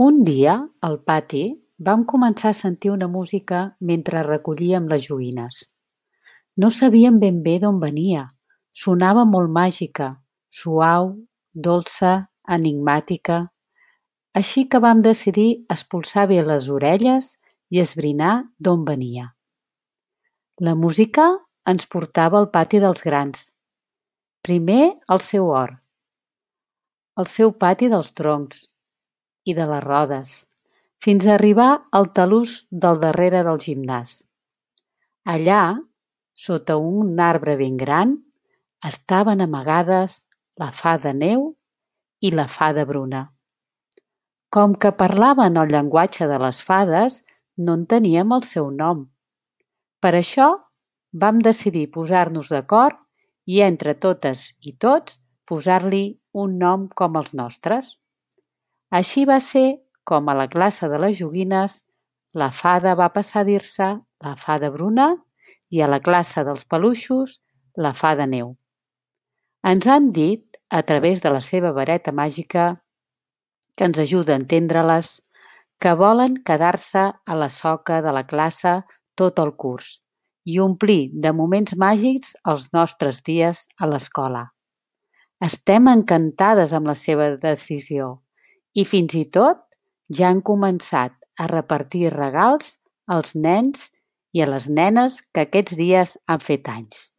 Un dia, al pati, vam començar a sentir una música mentre recollíem les joguines. No sabíem ben bé d'on venia. Sonava molt màgica, suau, dolça, enigmàtica. Així que vam decidir espolsar bé les orelles i esbrinar d'on venia. La música ens portava al pati dels grans. Primer al seu hort, al seu pati dels troncs i de les rodes, fins a arribar al talús del darrere del gimnàs. Allà, sota un arbre ben gran, estaven amagades la fada Neu i la fada Bruna. Com que parlaven el llenguatge de les fades, no en teníem el seu nom. Per això vam decidir posar-nos d'acord i entre totes i tots posar-li un nom com els nostres. Així va ser com a la classe de les joguines la fada va passar a dir-se la fada Bruna i a la classe dels peluixos la fada Neu. Ens han dit, a través de la seva vareta màgica, que ens ajuda a entendre-les, que volen quedar-se a la soca de la classe tot el curs i omplir de moments màgics els nostres dies a l'escola. Estem encantades amb la seva decisió i fins i tot ja han començat a repartir regals als nens i a les nenes que aquests dies han fet anys.